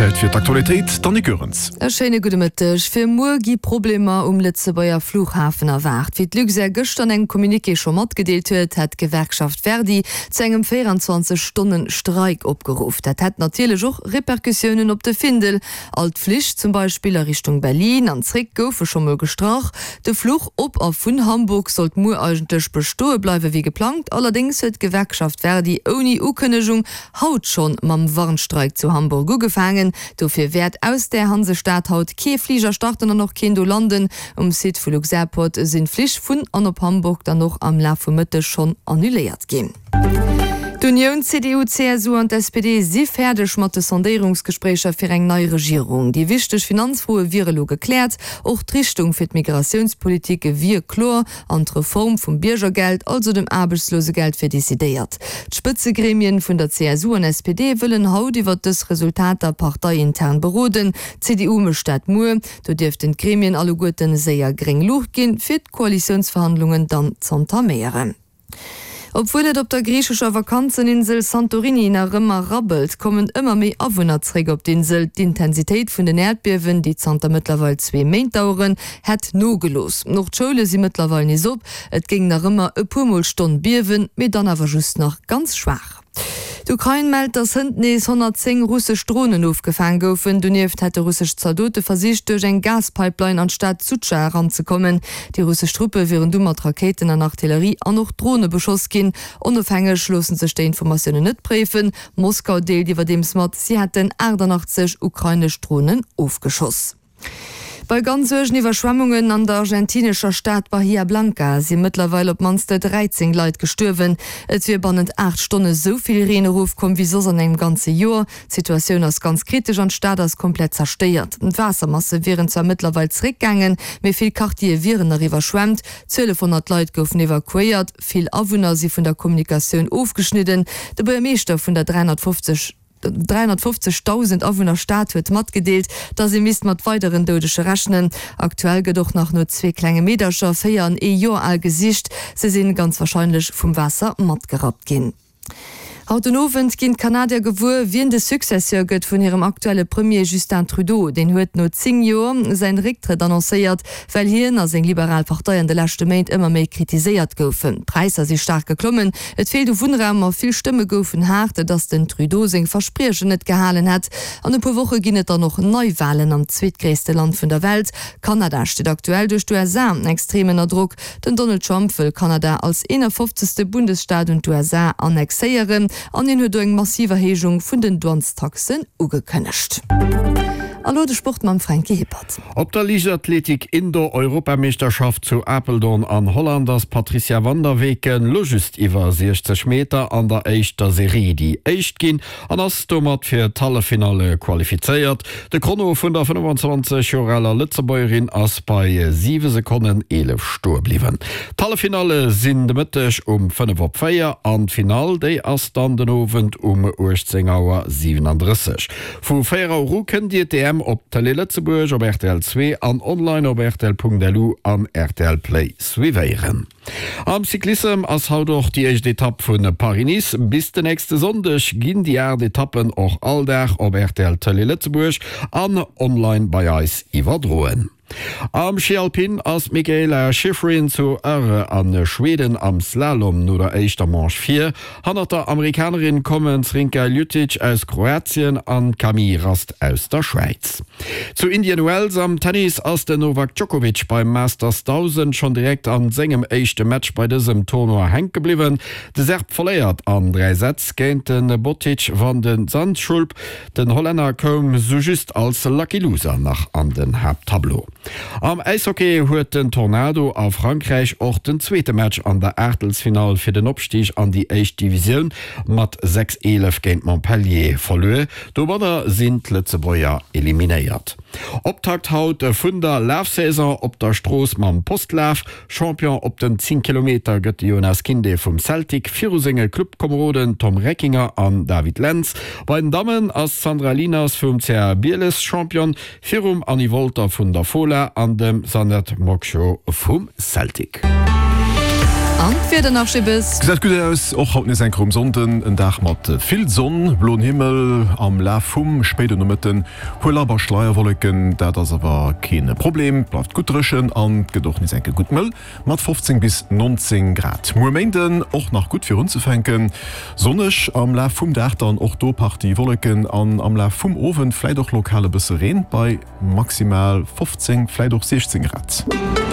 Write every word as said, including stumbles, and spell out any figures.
Zäit fir d'Aktualitéit, d'Annick Goerens. E schéine gudde Mëtteg. Fir muer gi Problemer um Lëtzebuerger Flughafen erwaart. Wéi d'Luxair gëschter an engem Communiqué scho matgedeelt huet, hätt d'Gewerkschaft Verdi zu engem véierundzwanzeg Stonnen Streik opgeruff. Dat hätt natierlech och Repercussiounen op de Findel. All d'Flich zum Beispill a Richtung Berlin an zréck goufe scho mol gestrach. De Fluch op a vun Hamburg sollt muer eigentlech bestoe bleiwe wéi geplangt. Allerdéngs huet d'Gewerkschaft Verdi ouni Ukënnegung haut schonn mam Warnstreik zu Hamburg ugefaangen. Dofir wäert aus där Hansestad haut kee Fliger starten an och keen do landen. Um Site vu Luxairport sinn d'Flich vun an op Hamburg dann och am Laf vum Mëtteg schonn annuléiert ginn. D'Unioun, C D U, C S U an d'S P D si fäerdeg mat de Sondéierungsgespréicher fir eng nei Regierung. Déi wichteg Finanzfroe wiere lo gekläert, och d'Richtung fir d'Migratiounspolitik wier kloer an d'Reform vum Biergergeld, also dem Aarbechtslosegeld, wier decidéiert. D'Spëtzegremien vun der C S U an S P D wëllen haut iwwer dës Resultater parteiintern beroden. D'C D U mécht dat muer. Do dierften d'Gremien alleguerten séier gréng Luucht ginn, fir d'Koalitiounsverhandlungen dann z'entaméieren. Obwuel et op der griichescher Vakanzeninsel Santorini nach ëmmer rabbelt, kommen ëmmer méi Awunner zréck op d'Insel. D'Intensitéit vun den Äerdbiewen, déi zanter mëttlerweil zwee Méint daueren, hätt nogelooss. Och d'Schoule si mëttlerweil nees op. Et géing nach ëmmer e puer mol d'Stonn biewen, mee dann awer just nach ganz schwaach. D'Ukrain mellt, datt hënt nees honnertzéng russesch Dronen ofgefaang goufen. Donieft hätte russesch Zaldote versicht, duerch eng Gaspipeline an d'Stad Sudscha eranzekommen. Déi russesch Truppe wieren du mat Rakéiten an Artillerie an och Drone beschoss ginn. Onofhängeg loosse sech déi Informatiounen net préifen. Moskau deelt iwwerdeems mat, si hätten achtannachtzeg ukrainesch Dronen ofgeschoss. Bei ganz uergen Iwwerschwemmungen an der argentinescher Stad Bahia Blanca si mëttlerweil op d'mannst dräizéng Leit gestuerwen. Et wier bannent aacht Stonne sou vill Reen erofkomm wéi soss an engem ganze Joer. D'Situatioun ass ganz kritesch an d'Stad ass komplett zerstéiert. D'Waassermasse wieren zwar mëttlerweil zeréckgaangen, mee vill Quartiere wieren nach iwwerschwemmt. Zwielefhonnert Leit goufen evakuéiert, vill Awunner si vun der Kommunikatioun ofgeschnidden. De Buergermeeschter vun der dräihonnertfofzeg dräihonnertfofzegdausend Awunner Stad huet matgedeelt, datt ee misst mat weideren Doudege rechnen. Aktuell gëtt och nach no zwee klenge Meedercher, véier an ee Joer al, gesicht. Se sinn ganz warscheinlech vum Waasser matgerappt ginn. Haut den Owend ginn d'Kanadier gewuer, wien de Successeur gëtt vun hirem aktuelle Premier Justin Trudeau. Deen huet no zéng Joer säin Récktrëtt annoncéiert, well hien a seng liberal Partei an de leschte Méint ëmmer méi kritiséiert goufen. D'Präisser si staark geklommen, et feelt u Wunnraum a vill Stëmme goufen haart, datt den Trudeau seng Verspriechen net gehalen hätt. An e puer Woche ginn et dann och Neiwalen am zweetgréisste Land vun der Welt. Kanada steet aktuell duerch d'U S A extrem ënner Drock. Den Donald Trump wëll Kanada als eenafofzegste Bundesstaat un d'U S A annexéieren an hien huet do eng massiv Erhéijung vun den Douanestaxen ugekënnegt. A lo de Sport mam Franky Hippert. Op der Liichtathletik Indoor Europameeschterschaft zu Apeldoorn an Holland ass d'Patricia van der Weken lo just iwwer siechzeg Meter an der éischter Serie déi éischt ginn an ass domat fir d'Halleffinalle qualifizéiert. De Chrono vun der fënnefenzwanzeg Joer aler Lëtzebuergerin ass bei siwe Sekonnen eelef stoe bliwwen. D'Halleffinalle sinn de Mëtteg um fënnef op véier an d'Finall déi ass dann den Owend um uechtzéng Auer siwenandrësseg. Vu véier Auer u kënnt Dir d'E M op Télé Lëtzebuerg, op R T L zwee an online op R T L Punkt L U an R T L Play suivéieren. Am Cyclissem ass haut och déi éischt Etapp vu Paris-Nice. Bis den nächste Sonndeg ginn déi aacht Etappen och all Dag op R T L Télé Lëtzebuerg an online bei eis iwwerdroen. Am Schi Alpin ass d'Mikaela Shiffrin zu Åre a Schweden am Slalom no der éischter Manche vir. Hannert der Amerikanerin kommen d'Zrinka Ljutic aus Kroatien an d'Camille Rast aus der Schwäiz. Zu Indian Wells am Tennis ass den Novak Djokovic beim Masters dausend schonn direkt an sengem éischte Match bei dësem Tournoi hänke bliwwen. De Serb verléiert an dräi Sätz géint de Botic van de Zandschulp. Den Hollänner koum sou just als Lucky Loser nach an den Haapttableau. Am Äishockey huet den Tornado a Frankräich och den zweete Match an der Aachtelsfinall fir den Opstig an déi éischt Divisioun mat sechs eelef géint Montpellier verluer. Domadder sinn d'Lëtzebuerger eliminéiert. Optakt haut vun der Lafsaison op der Strooss mam Postlaf. Champion op den zéng Kilometer gëtt de Jonas Kinde vum Celtic viru senge Clubkomeroden Tom Reckinger an David Lentz. Bei den Dammen ass d'Sandra Lieners vum C A Bieles Champion virum Annie Wolter vun der Fola an dem Sanet Mokcho vum Celtic. An d'Wieder nach Schibbes. Gesäit gutt aus, och haut nees eng Kéier um Sonnden en Dag mat vill Sonn, bloen Himmel, am Laf vum spéiden Nomëtten puer labber Schleierwolleken, dat ass awer keen Problem, bleift gutt dréchen an gëtt och nees eng Kéier gutt mëll mat fofzéng bis nonzéng Grad. Muer Méinden och nach gutt fir unzefänken, sonneg, am Laf vum Dag dann och do Partie Wolleken an am Laf vum Owend vläit och lokal e bësse Reen bei maximal fofzéng, vläit och siechzéng Grad.